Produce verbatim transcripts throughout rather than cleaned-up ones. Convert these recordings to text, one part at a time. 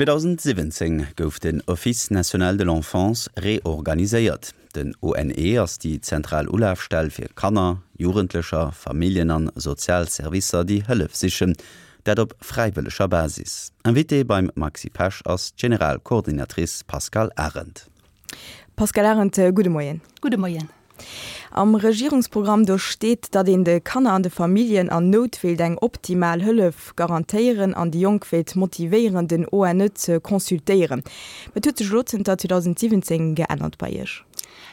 zweedausendsiwwenzéng gouf den Office national de l'enfance reorganiséiert. Den O N E ass déi zentral Ulafstell fir Kanner, Jugendlecher, Familljen an sozial Servicer, déi Hëllef sichen, dat op fräiwëlleger Basis. Invitée beim Maxi Pesch ass d'Generalcoordinatrice Pascale Arendt. Pascale Arendt, gudde Moien. Gudde Moien. Am Regierungsprogramm do steet, datt een de Kanner an de Familljen an Nout wéilt eng optimal Hëllef garantéieren an déi Jonk wéilt motivéieren, den O N E ze consultéieren. Wat huet sech elo zënter zweedausendsiwwenzéng geännert bei Iech?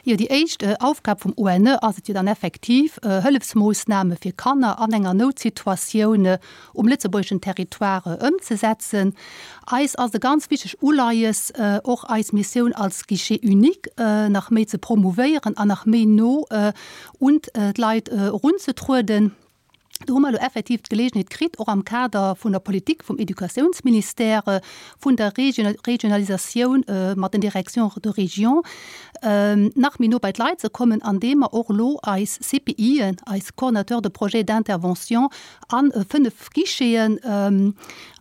Jo, déi éischt Aufgab vum O N E ass et jo dann effektiv, Hëllefsmoossname fir Kanner an enger Noutsituatioun um lëtzebuergeschen Territoire ëmzesetzen. Eis ass e ganz wichteg Uleies, och eis Missioun als Guichet unique nach méi ze promouvéieren an nach méi no un d'Leit erunzetrueden. Do hu mer elo effektiv d'Geleegenheet kritt, och am Kader vun der Politik vum Educatiounsministère, vun der Regionalisatioun mat den Directions de région, nach méi no bei d'Leit ze kommen, andeem mer och elo eis C P Ien, eis Coordinateurs de projets d'intervention, a fënnef Guicheten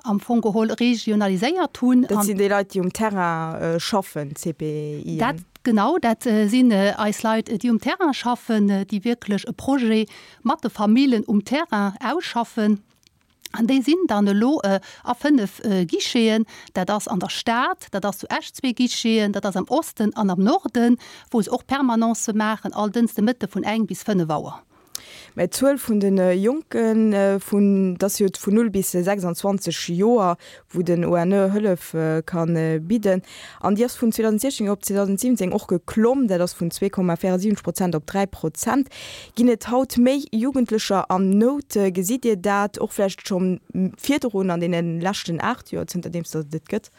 am Fong geholl regionaliséiert hunn. Dat sinn déi Leit, déi um Terrain schaffen, d'C P Ien? Dat, genau, dat sinn eis Leit, déi um Terrain schaffen, déi wierklech e Projet mat de Famillen um Terrain ausschaffen. An déi sinn dann elo a fënnef Guicheten, dat ass an der Stad, dat ass zu Esch zwee Guicheten, dat ass am Osten an am Norden, wou se och Permanencë maachen, all Dënschde Mëtte vun eng bis fënnef Auer. Mä d'Zuel vun de Jonken, vun, dat ass jo vun null bis sechsanzwanzeg Joer, wou den O N E Hëllef ka bidden, an déi ass vun zweedausendsiechzéng op zweedausendsiwwenzéng och geklomm, dat ass vun zwee Komma véierundsiwwenzeg Prozent op dräi Prozent. Ginn et haut méi Jugendlecher an Nout? Gesitt Dir dat och vläicht scho virdrun an deene leschten aacht Joer, zënterdeems datt et et gëtt?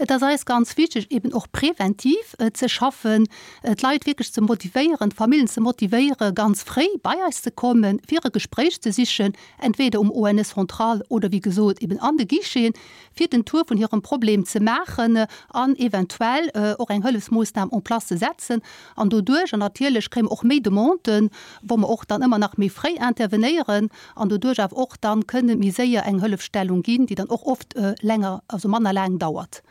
Et ass eis ganz wichteg, eben och preventiv ze schaffen, d'Leit wierklech ze motivéieren, d'Familljen ze motivéieren, ganz fréi bei eis ze kommen, fir e Gespréich ze sichen, entweder um O N E central oder wéi gesot eben an de Guicheten, fir den Tour vun hirem Problem ze maachen an eventuell och eng Hëllefsmoossnam en place ze setzen. An doduerch, an natierlech kréie mer och méi Demanden, wou mer och dann ëmmer nach méi fréi intervenéieren an doduerch awer och dann kënne méi séier eng Hëllefstellung ginn, déi dann och oft länger, also manner laang dauert.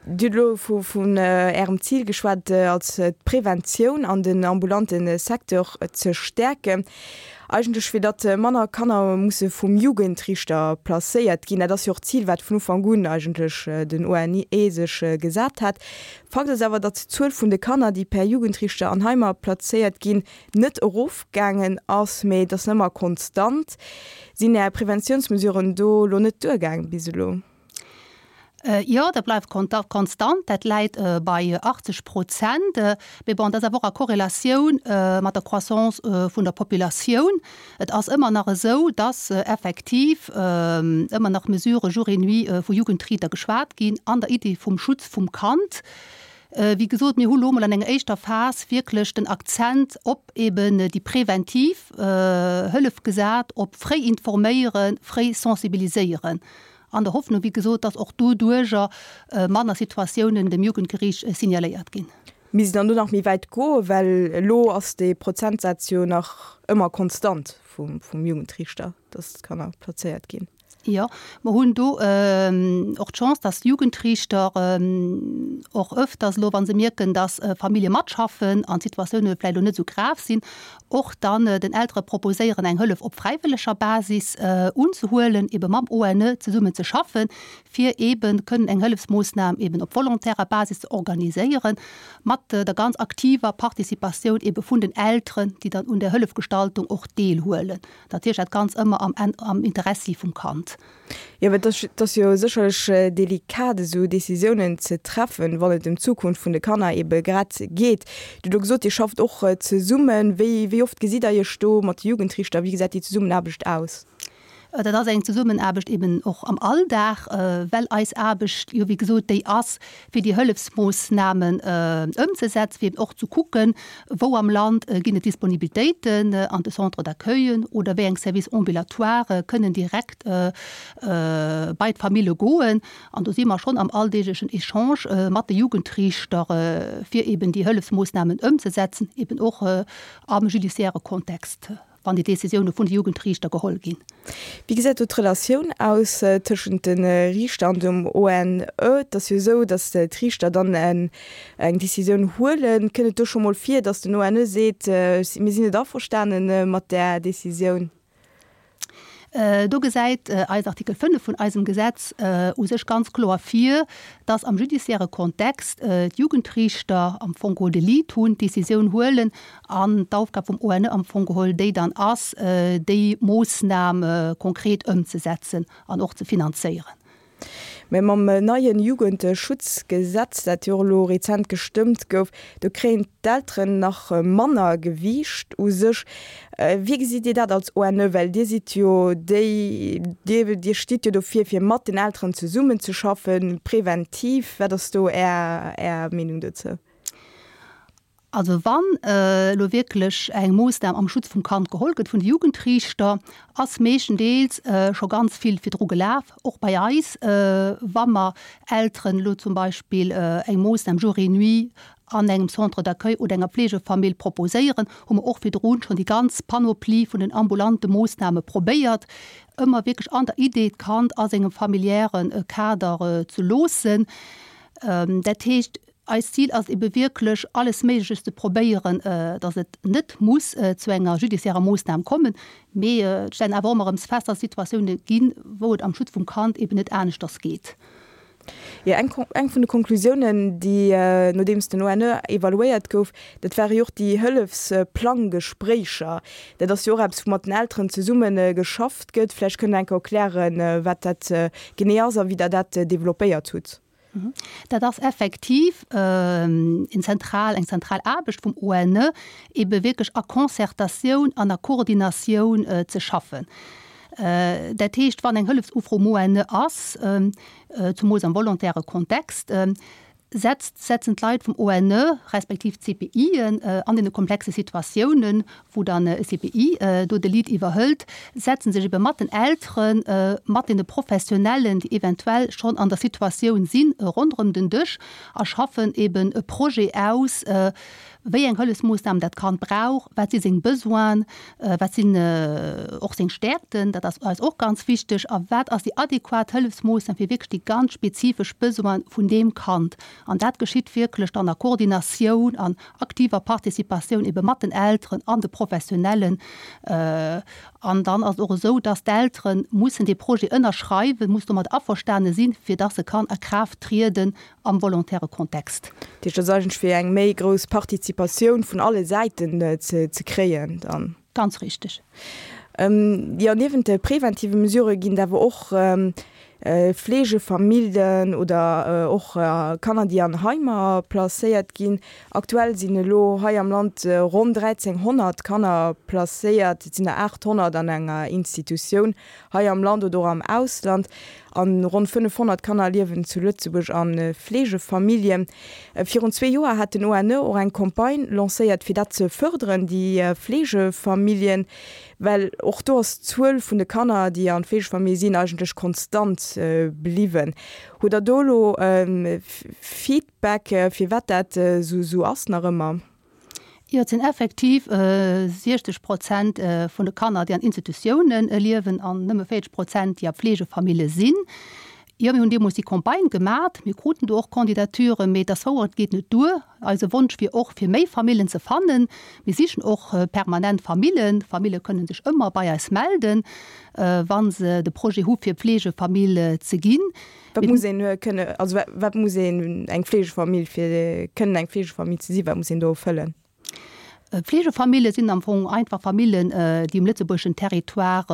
Dir hutt elo vu vun Ärem Zil geschwat, als d'Preventioun an den ambulante Secteur ze stäerken. Eigentlech fir datt manner Kanner musse vum Jugendriichter placéiert ginn. Dat ass jo och d'Zil, wat vun Ufank un eigentlech den O N E sech gesat hat. Fakt ass awer, datt d'Zuel vun de Kanner, déi per Jugendriichter an Heimer plazéiert ginn, net erofgaangen ass, mee et ass ëmmer konstant. Sinn Är Preventiounsmesuren do elo net duergaang bis elo? Jo, dat bleift konstant, dat läit bei achtzeg Prozent. Mee bon, dat ass awer och a Korrelatioun mat der Croissance vun der Populatioun. Et ass ëmmer nach esou, dass effektiv ëmmer nach Mesurë jour et nuit vu Jugendriiter geschwat ginn an der Iddi vum Schutz vum Kand. Wéi gesot, mir hu lo mol an enger éischter Phas wierklech den Akzent op eben déi preventiv Hëllef gesat, op fréi informéieren, fréi sensibiliséieren. An der Hoffnung, wéi gesot, dass och doduerjer manner Situatiounen dem Jugendgeriicht signaléiert ginn. Misst een dann do nach méi wäit goen, well elo ass dee Prozentsaz jo nach ëmmer konstant vum, vum Jugendriichter, dass d'Kanner plazéiert ginn? Jo, mer hunn do och d'Chance, dass d'Jugendriichter och öfters elo, wa se mierken, dass Famillje matschaffen an d'Situatioune vläicht elo net esou grav sinn, och dann den Eltere proposéieren, eng Hëllef op fräiwëlleger Basis unzehuelen, ebe mam O N E zesummen ze schaffen, fir ebe kënnen eng Hëllefsmoossnam eben op volontärer Basis ze organiséieren, mat der ganz aktiver Participatioun ebe vun den Elteren, déi dann un der Hëllefgestaltung och deelhuelen. Natierlech dat Ganz ëmmer am, am Interessi vum Kand. Jo, well dat ass jo sécherlech delikat, esou Decisiounen ze treffen, wann et ëm d'Zukunft vun de Kanner ebe grad geet. Dir hutt elo gesot, Dir schafft och zesummen. Wéi, wéi oft gesitt Der Iech do mat de Jugendriichter? Wéi gesäit déi Zesummenaarbecht aus? Dat ass eng Zesummenaarbecht eben och am Alldag, well eis Aarbecht jo wéi gesot déi ass, fir déi Hëllefsmoossnamen ëmzesetzen, fir eben och ze kucken, wou am Land ginn et Disponibilitéiten an de Centres d'accueillen oder wéi eng Services ambulatoires kënnen direkt bei d'Famille goen. An do si mer schonn am alldeeglechen Echange mat de Jugendriichter, fir eben déi Hëllefsmoossnamen ëmzesetzen, eben och am judiciaire Kontext. wann déi Décisioune vun de Jugendriichter geholl ginn. Wéi gesäit do d'Relatioun aus tëschent de Riichter an dem ONE? Et ass jo esou, datt d'Riichter dann eng Décisioun huelen. Kënnt et do scho mol vir, datt den ONE seet, mir sinn net averstane mat där Décisioun? Do gesäit eis Artikel fënnef vun eisem Gesetz u sech ganz kloer vir, dass am judiciaire Kontext d'Jugendriichter am Fong geholl de Lead hunn, d'Décisioun huelen an d'Aufgab vum ONE am Fong geholl déi dann ass, déi Moossnam konkret ëmzesetzen an och ze finanzéieren. Mä mam neien Jugendschutzgesetz, dat jo och elo rezent gestëmmt gouf, do kréien d'Elteren nach manner Gewiicht u sech. Wéi gesitt Dir dat als ONE? Well Dir sidd jo déi, Dir, Dir stitt jo dofir, fir mat den Elteren zesummenzeschaffen, präventiv. Wat ass do Är, Är Meenung dozou? Also wann elo wierklech eng Moossnam am Schutz vum Kand geholl gëtt vun de Jugendriichter, ass meeschtendeels scho ganz vill virdru gelaf, och bei eis, wa mer Elteren elo zum Beispill eng Moossnam jour et nuit an engem Centre d'accueil oder enger Pflegefamill proposéieren, hu mer och virdrun schonn déi ganz Panoplie vun den ambulante Moossname probéiert, ëmmer wierklech an der Idee, d'Kand a sengem familiäre Kader ze loossen. Dat heescht, eist Zil ass ebe wierklech, alles Méigleches ze probéieren, datt et net muss zu enger judiciairer Moossnam kommen. Mee et stellen awer och ëmmer erëm fest, datt et Situatioune ginn, wou et am Schutz vum Kand eben net aneschters geet. Jo, eng eng vun de Konklusiounen, déi nodeems den ONE evaluéiert gouf, dat ware jo och déi Hëllefsplanggespréicher. Dat ass jo och eppes, wou mat den Elteren zesumme geschafft gëtt. Vläicht kënnt Der eng Kéier erklären, wat dat genee ass a wéi Der dat developpéiert hutt. Dat ass effektiv en zentral, eng zentral Aarbecht vum ONE, ebe wierklech a Concertatioun an a Koordinatioun ze schaffen. Dat heescht, wann eng Hëllefsufro um ONE ass, zumools am volontäre Kontext, setzt, setzen d'Leit vum ONE respektiv d'CPIen an deene komplexe Situatiounen, wou dann e CPI do de Lead iwwerhëlt, setze sech ebe mat den Elteren, mat deene Professionellen, déi eventuell schonn an der Situatioun sinn, ronderëm den Dësch a schaffen eben e Projet aus, wéi eng Hëllefsmoossnamen dat Kand brauch, wat si seng Besoinen, wat sinn och seng Stäerkten, dat ass eis och ganz wichteg, a wat ass déi adequat Hëllefsmoossnam fir wierklech déi ganz spezifesch Besoine vun deem Kand. An dat geschitt wierklech dann a Koordinatioun an aktiver Participatioun ebe mat den Elteren an de Professionellen. An dann ass et och esou, dass d'Eltere mussen dee Projet ënnerschreiwen, muss domat averstane sinn, fir dass e kann a Kraaft trieden am volontäre Kontext. Dat heescht, dat ass eigentlech fir eng méi grouss Participatioun vun alle Säiten ze kréien dann. Ganz richteg. Jo, niewent de preventive Mesurë ginn et awer och Fleegefamilljen oder och Kanner, déi an Heimer placéiert ginn. Aktuell sinn elo hei am Land ronn dräizénghonnert Kanner placéiert. Et sinn der aachthonnert an enger Institutioun hei am Land oder och am Ausland. An ronn fënnefhonnert Kanner liewen zu Lëtzebuerg a Fleegefamilljen. Virun zwee Joer hat den ONE och eng Campagne lancéiert, fir dat ze fërderen, déi Fleegefamilljen. Well och do ass d'Zuel vun de Kanner, déi an Fleegefamille sinn, eigentlech konstant bliwwen. Hutt Der do elo Feedback, firwat dat esou ass nach ëmmer? Jo, et sinn effektiv siechzeg Prozent vun de Kanner, déi an Institutioune liewen an nëmme véierzeg Prozent, déi a Fleegefamille sinn. Jo, mir hunn deemools déi Campagne gemat. Mir kruten do och Candidaturen, mee et ass wouer, et geet net duer. Eise Wonsch wier och, fir méi Famillen ze fannen. Mir sichen och permanent Famillen. Famille kënnen sech ëmmer bei eis melden, wa se de Projet hu fir Fleegefamill ze ginn. Wat muss een kënne, also wat muss een eng Fleegefamill, fir kënnen eng Fleegefamill ze sinn, wat muss een do erfëllen? Fleegefamille sinn am Fong einfach Famillen, déi um lëtzebuergeschen Territoire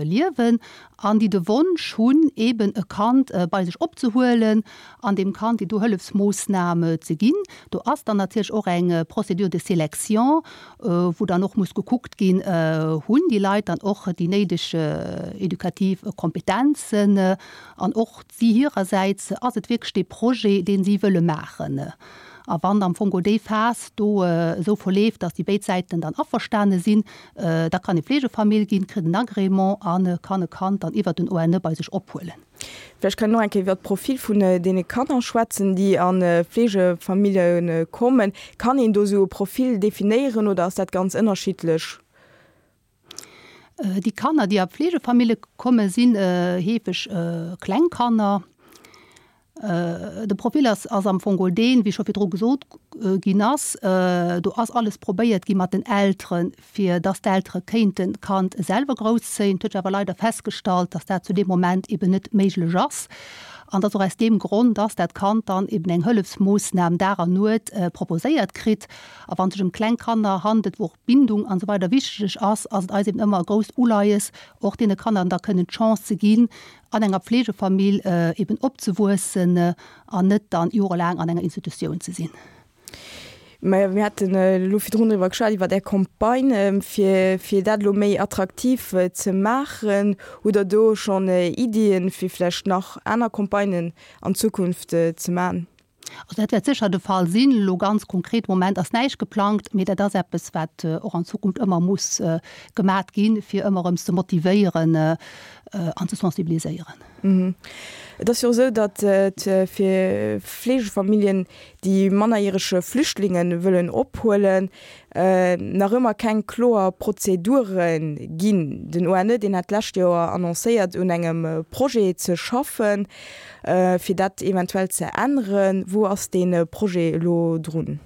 liewen an déi de Wonsch hunn, eeben e Kand bei sech opzehuelen an deem Kand déi do Hëllefsmoossnam ze ginn. Do ass dann natierlech och eng Procédure de sélection, wou dann och muss gekuckt ginn, hunn déi Leit dann och déi néideg edukativ Kompetenzen an och si hirersäits, ass et wierklech dee Projet, dee si wëlle maachen. A wann am Fong déi Phas do esou verleeft, dass déi béid Säiten dann averstane sinn, da kann ee Fleegefamill ginn, kritt en Agrément a kann e Kand dann iwwert den ONE bei sech ophuelen. Vläicht kann een och eng Kéier iwwert d'Profil vun deene Kanner schwätzen, déi a Fleegefamillje kommen. Kann een do esou e Profil definéieren oder ass dat ganz ënnerschiddlech? Déi Kanner, déi a Pflegefamille kommen, sinn heefeg kleng Kanner. De Profil ass ass am Fong geholl deen, wéi scho virdru gesot ginn ass, do ass alles probéiert gi mat den Elteren, fir dass d'Eltere kéinten d'Kand selwer grousszéien. Et huet sech awer leider festgestallt, dass dat zu deem Moment eben net méiglech ass an dass och aus deem Grond, dass dat Kand dann eben eng Hëllefsmoossnam Dag an Nuet proposéiert kritt. A wann et sech ëm kleng Kanner handelt, wou och Bindung an esou weider wichteg ass, ass et eis eben ëmmer e grousst Uleies, och deene Kanner da kënnen d'Chance ze ginn, an enger Pflegefamill eben opzewuessen an net dann jorelaang an enger Institutioun ze sinn. Majo, mir haten elo virdrun driwwer geschwat, iwwer Är Campagne, fir, fir dat elo méi attraktiv ze maachen. Hutt Der do schonn Iddien, fir vläicht nach aner Campagnen an Zukunft ze maachen? Also dat wäert sécher de Fall sinn. Elo ganz konkret am Moment ass näischt geplangt, mee dat ass eppes, wat och an Zukunft ëmmer muss gemat ginn, fir ëmmer erëm ze motivéieren an ze sensibiliséieren. Et ass jo och esou, datt et fir Fleegefamilljen, déi mannerjärege Flüchtlinge wëllen ophuelen, nach ëmmer keng kloer Prozedure ginn. Den O N E, deen hat d'lescht Joer annoncéiert, un engem Projet ze schaffen, fir dat eventuell ze änneren. Wou ass dee Projet elo drun?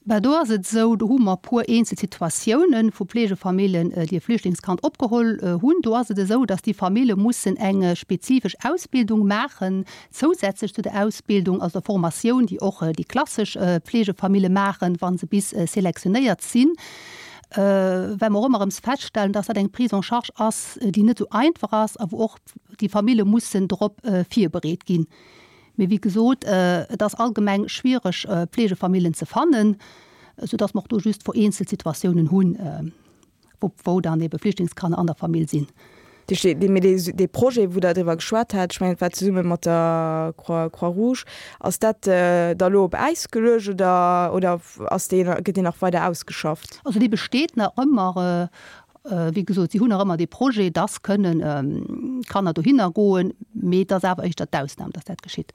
Ben, do ass et esou, do hu mer e puer eenzel Situatiounen vu Pflegefamillen, déi e Flüchtlingskand opgeholl hunn. Do ass et esou, dass déi Famille mussen eng spezifesch Ausbildung maachen, zousätzlech zu der Ausbildung, also der Formatioun, déi och déi klassesch Pflegefamille maachen, wa se bis selektionéiert sinn. Well mer och ëmmer erëm feststellen, dass dat eng Prise en charge ass, déi net esou einfach ass a wou och déi Famille mussen drop virbereet ginn. Mee wéi gesot, et ass allgemeng schwiereg, Pflegefamillen ze fannen, soudass mer och do just vereenzelt Situatiounen hunn, wou dann ebe Flüchtlingskanner an der Famill sinn. Mee dee Projet, wou Der driwwer geschwat hat, ech mengen, et war zesumme mat der Croix-Rouge, ass dat da elo op Äis geluecht oder oder ass dee, gëtt deen nach weider ausgeschafft? Also dee besteet nach ëmmer. Wéi gesot, si hunn nach ëmmer dee Projet, dass kënnen Kanner dohinner goen, mee et ass awer éischter d'Ausnam, dass dat geschitt.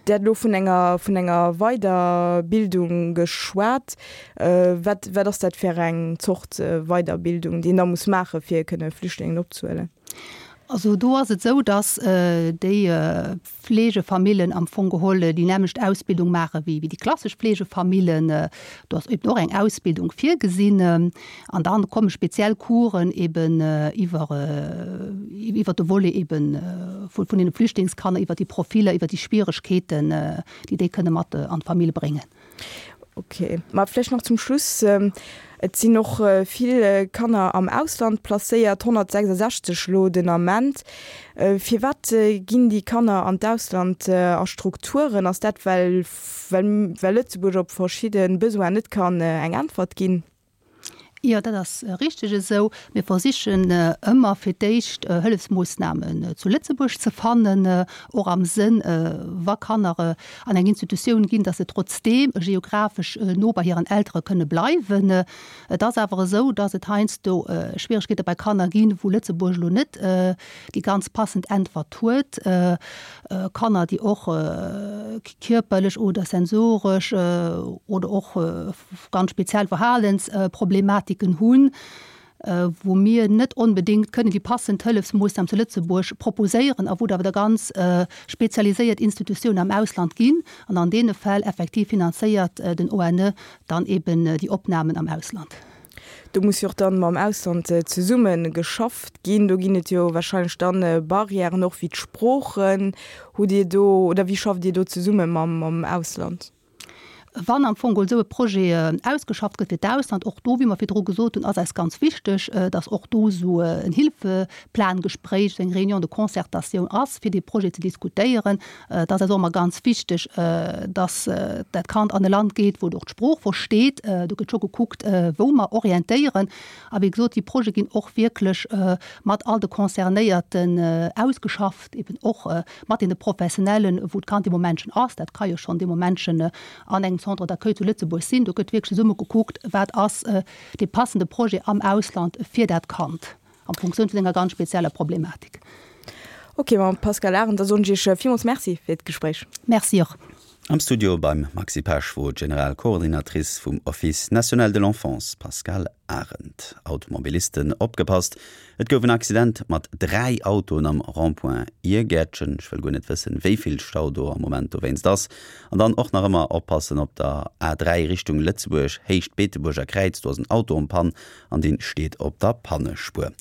Dir hat elo vun enger, vun enger Weiderbildung geschwat. Wat, wat ass dat fir eng Zort Weiderbildung, déi een da muss maachen, fir kënne Flüchtlingen opzehuelen? Also do ass et esou, dass déi Fleegefamillen am Fong geholl déi nämmlecht Ausbildung maache wéi déi klassesch Fleegefamillen. Do ass eben och eng Ausbildung virgesinn. An da komme speziell Coursen eben iwwer iwwer de Volet eben vun deene Flüchtlingskanner, iwwer déi Profiller, iwwer déi Schwieregkeeten, déi déi kënne mat an d'Famill bréngen. Ok, ma vläicht nach zum Schluss, Et sinn och vill Kanner am Ausland placéiert, honnertsechsasechzeg elo den Ament. Firwat ginn déi Kanner an d'Ausland a Strukturen? Ass dat, well well Lëtzebuerg op verschidde Besoinen net kann eng Äntwert ginn? Jo, dat ass richteg esou. Mir versichen ëmmer fir d'éischt Hëllefsmoossnamen zu Lëtzebuerg ze fannen, och am Sënn, wa Kanner an eng Institutioun ginn, datt se trotzdeem geographesch no bei hiren Eltere kënne bleiwen. Et ass awer esou, datt et heiansdo Schwieregkeete bei Kanner ginn, wou Lëtzebuerg elo net déi ganz passend Äntwert huet. Kanner, déi och kierperlech oder sensoresch oder och ganz speziell Verhalensproblematiken hunn, wou mir net onbedéngt kënnen déi passend Hëllefsmoossnam zu Lëtzebuerg proposéieren a wou et awer da ganz spezialiséiert Institutiounen am Ausland ginn. An an deene Fäll effektiv finanzéiert den O N E dann eben déi Opnamen am Ausland. Do muss jo och dann mam Ausland zesumme geschafft ginn. Do ginn et jo wahrscheinlech dann Barrièren och wéi d'Sproochen. Hutt Dir do, oder wéi schafft Dir do zesumme mam Ausland? Wann am Fong geholl esou e Projet ausgeschafft gëtt fir d'Ausland, och do, wéi mer virdru gesot hunn, ass eis ganz wichteg, dass och do esou en Hilfeplangespréich, esou eng Réunion de concertation ass, fir dee Projet ze diskutéieren. Et ass eis och ëmmer ganz wichteg, dass dat Kand an e Land geet, wou et och d'Sprooch versteet. Do gëtt scho gekuckt, wou mer orientéieren. A wéi gesot, déi Projete ginn och wierklech mat all de Concernéierten ausgeschafft, eben och mat deene Professionellen, wou d'Kand dee Moment schonn ass. Dat ka jo schonn dee Moment schonn an engem Centre d'accueil zu Lëtzebuerg sinn. Do gëtt wierklech zesumme gekuckt, wat ass dee passende Projet am Ausland fir dat Kand a Funktioun vun enger ganz spezieller Problematik. Ok, Mme Pascale Arendt, da soen ech Iech villmools Merci fir d'Gespréich. Merci och. Am Studio beim Maxi Pesch wor d'Generalcoordinatrice vum Office national de l'enfance Pascale Arendt. Automobilisten opgepasst, Et gouf en Accident mat dräi Autoen am Rond-point Irgäertchen. Ech wëll guer net wëssen, wéi vill Stau do am Moment dowéinst ass. An dann och nach ëmmer oppassen op der A dräi Richtung Lëtzebuerg, Héicht Beetebuerger Kräiz, do ass en Auto en panne an dee steet op der Pannespuer.